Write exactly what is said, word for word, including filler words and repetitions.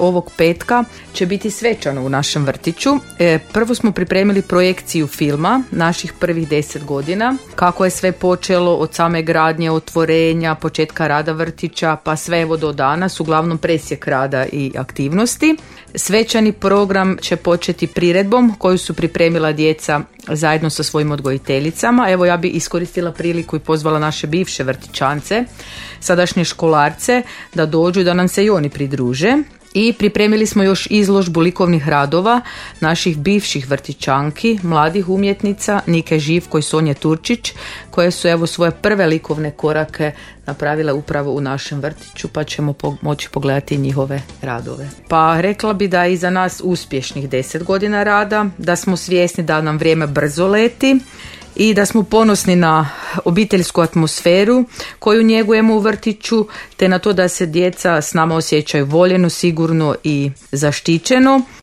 Ovog petka će biti svečano u našem vrtiću. E, prvo smo pripremili projekciju filma naših prvih deset godina, kako je sve počelo od same gradnje, otvorenja, početka rada vrtića, pa sve evo do danas, uglavnom presjek rada i aktivnosti. Svečani program će početi priredbom koju su pripremila djeca zajedno sa svojim odgojiteljicama. Evo, ja bi iskoristila priliku i pozvala naše bivše vrtićance, sadašnje školarce, da dođu da nam se i oni pridruže. I pripremili smo još izložbu likovnih radova naših bivših vrtićanki, mladih umjetnica Nike Živko i Sonje Turčić, koje su evo svoje prve likovne korake napravile upravo u našem vrtiću, pa ćemo po- moći pogledati njihove radove. Pa rekla bi da je iza nas uspješnih deset godina rada, da smo svjesni da nam vrijeme brzo leti i da smo ponosni na obiteljsku atmosferu koju njegujemo u vrtiću, te na to da se djeca s nama osjećaju voljeno, sigurno i zaštićeno.